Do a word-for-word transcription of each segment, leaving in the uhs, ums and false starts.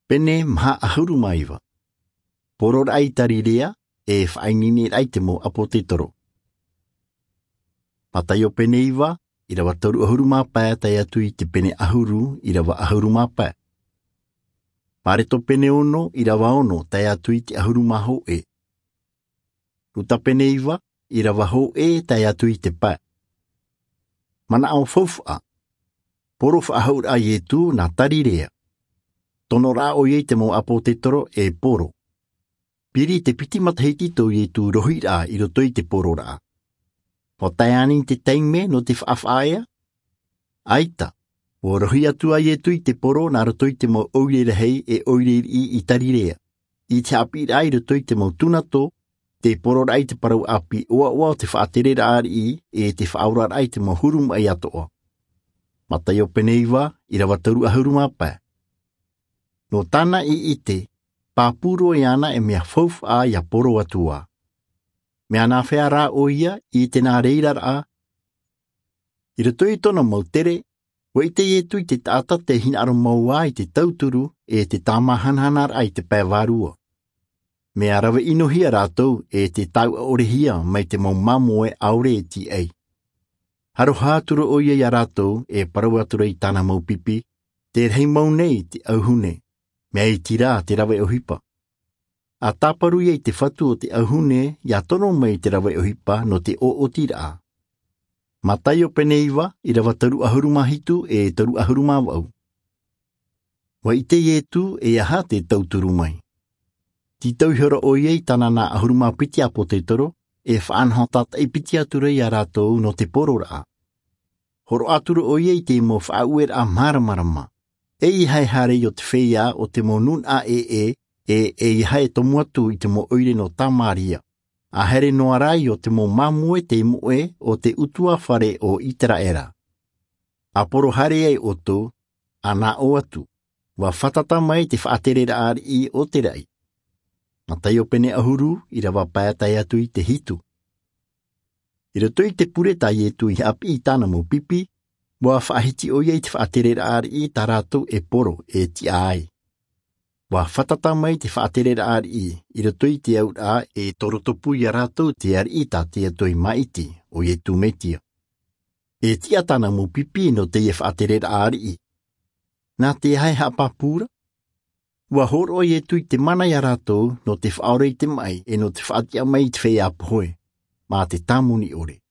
Pene maha ʻahuru mā iva. Pororaʻa i tarirea, e faʻaineineraʻa i te mau ʻāpōtetoro. Mataio pene iva, ʻirava toru ʻahuru mā pae tae atu i te pene ʻahuru, ʻirava ʻahuru mā pae. Mareto pene ono, ʻirava ono tae atu i te ʻahuru mā hōʻē. Luka pene iva, ʻirava hōʻē tae atu i te pae. Manaʻo faufaʻa. Poro faʻahou a Ietu nā Tarirea. Tonoraʻa ʻoia i te mau ʻāpōtetoro e poro. Piri te piti matahiti tō Ietu rohiraʻa i roto i te pororaʻa. ʻUa tae ānei te taime nō te faʻafaʻa ea? ʻAita, ʻua rohi atu a Ietu i te poro nā roto i te mau ʻoire rahi e ʻoire riʻi i Tarirea, i te haʻapiʻiraʻa i roto i te mau tunato, te pororaʻa i te parau ʻāpī ʻoaʻoa o te faʻatereraʻa riʻi, e te faʻaoraraʻa i te mau huru maʻi atoʻa. Mataio pene iva, ʻirava toru ʻahuru mā pae. Nō tāna i ʻite, pāpū roa iāna e mea faufaʻa ʻia poro atu ā. Mea nāfea rā ʻoia i te nā reiraraʻa? I roto i tōna mau tere, ʻua ʻite Ietu i te taʻata tei hinaʻaro mau ā i te tauturu e te tāmāhanahanaraʻa i te pae vārua. Mea rave ʻinohia rātou e te tauʻaʻorehia mai te mau māmoe ʻaore e tīaʻi. Aroha atu ra ʻoia ia rātou e parau atu ra i tāna mau pipi, te rahi mau nei te ʻauhune, mea iti rā te rave ʻohipa. ʻA tāparu ia i te fatu o te ʻauhune ʻia tono mai i te rave ʻohipa nō te ʻoʻotiraʻa. Mataio pene iva, ʻirava toru ʻahuru mā hitu e toru ʻahuru mā vaʻu. ʻUa ʻite Ietu e aha te tauturu mai. Tītau ihora ʻoia i tāna nā ʻahuru mā piti ʻāpōtetoro, e faʻanaho tātaʻi piti atu ra ia rātou nō te pororaʻa. Hōroʻa atu ra ʻoia i te mau faʻaueraʻa māramarama. ʻEiaha e haere i ʻō te feiā o te mau nūnaʻa ʻē, e ʻeiaha e tomo atu i te mau ʻoire nō Tamaria. ʻA haere noa rā i ʻō te mau māmoe tei moʻe o te ʻutuāfare o Iteraera. ʻA poro haere ai ʻoutou, ʻa nā ʻō atu, ʻua fātata mai te faʻatereraʻa riʻi o te raʻi. Mataio pene ʻahuru, ʻirava pae tae atu i te hitu. I roto i te pure tā Ietu i haʻapiʻi i tāna mau pipi, ʻua faʻahiti ʻoia i te faʻatereraʻa riʻi tā rātou e poro, e tiʻa ai. ʻUa fātata mai te faʻatereraʻa riʻi i roto i te auraʻa e toro tupu ia rātou te ariʻi tā te Atua i māʻiti, ʻo Ietu Metia. E tiʻa tāna mau pipi nō teie faʻatereraʻa riʻi. Nā te aha e haʻapāpū ra? ʻUa hōroʻa Ietu i te mana ia rātou nō te faʻaora i te maʻi e nō te faʻatiʻa mai i te feiā pohe, mā te tāmoni ʻore.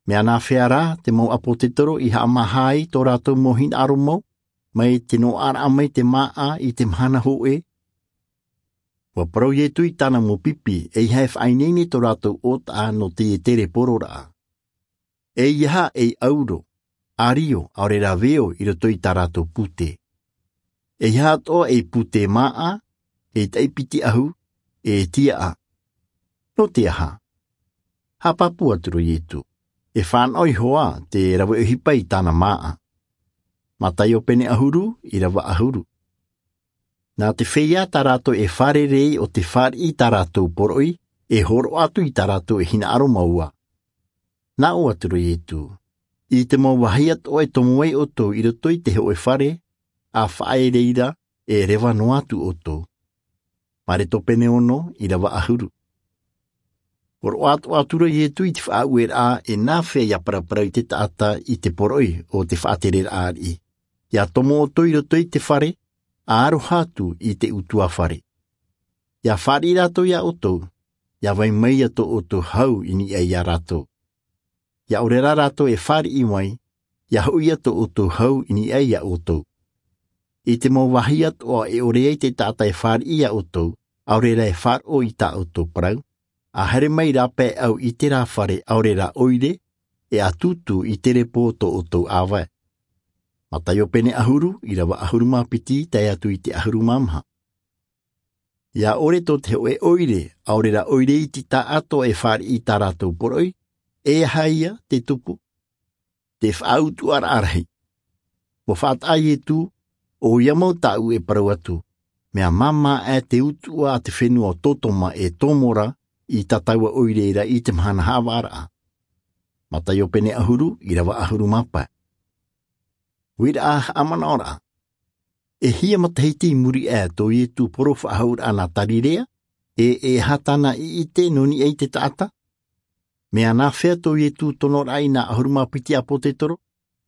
Mea nāfea rā te mau ʻāpōtetoro i haʻamāha ai tō rātou mau hinaʻaro mau, mai te noaʻaraʻa mai te māʻa i te mahana hōʻē? ʻUa parau Ietu i tāna mau pipi, ʻeiaha e faʻaineine tō rātou ʻōtaʻa nō teie tere pororaʻa. ʻEiaha ei ʻauro, ʻārio, ʻaore rā veo i roto i tā rātou pūtē. ʻEiaha atoʻa ei pūtē māʻa, ei taʻi piti ʻahu, e tiaʻa. Nō te aha? Haʻapāpū atu ra Ietu, e fānaʻo iho ā te rave ʻohipa i tāna māʻa. Mataio pene ʻahuru, ʻirava ʻahuru. Nā te feiā tā rātou e fārerei ʻo tē fāriʻi i tā rātou poroʻi, e hōroʻa atu i tā rātou e hinaʻaro mau ā. Nā ʻō atu ra Ietu, i te mau vāhi atoʻa e tomo ai ʻoutou i roto i te hōʻē fare, ʻa faʻaʻere i reira, e reva noa atu ʻoutou. Mareto pene ono, ʻirava ʻahuru. Hōroʻa atoʻa atu ra Ietu i te faʻaueraʻa e nāfea ʻia paraparau i te taʻata i te poroʻi o te faʻatereraʻa riʻi. ʻIa tomo ʻoutou i roto i te fare, ʻa aroha atu i te ʻutuāfare. ʻIa fāriʻi rātou ia ʻoutou, ʻia vai mai ia tō ʻoutou hau i niʻa ia rātou. ʻIa ʻore rā rātou e fāriʻi mai, ʻia hoʻi ia tō ʻoutou hau i niʻa ia ʻoutou. I te mau vāhi atoʻa e ʻore ai te taʻata e fāriʻi ia ʻoutou, ʻaore rā e faʻaroʻo i tā ʻoutou parau, ʻa haere mai rāpae ʻau i terā fare ʻaore rā ʻoire, e ʻa tūtū i te repo o tō ʻoutou ʻāvae. Mataio pene ʻahuru, ʻirava ʻahuru mā piti, tae atu i te ʻahuru mā maha. ʻIa ʻore tō te hōʻē ʻoire, ʻaore rā ʻoire iti taʻatoʻa e fāriʻi i tā rātou poroʻi, e aha ia te tupu? Te faʻautuʻaraʻa rahi. ʻUa faʻataʻa Ietu, ʻoia mau tāʻu e parau atu, mea māmā aʻe te utuʻa a te fenua o Totoma e Tomora i tā taua ʻoire ra i te mahana haʻavāraʻa. Mataio pene ʻahuru, ʻirava ʻahuru mā pae. Uiraʻa haʻamanaʻoraʻa. E hia matahiti i muri aʻe tō Ietu poro faʻahou raʻa nā Tarirea? E e aha tāna i ʻite nō niʻa i te taʻata? Mea nāfea tō Ietu tono raʻa i nā ʻahuru mā piti ʻāpōtetoro?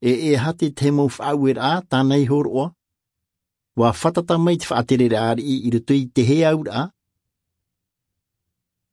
E e aha te tahi mau faʻaueraʻa tāna i hōroʻa? Ua fātata mai te faʻatereraʻa ariʻi i roto i te hea auraʻa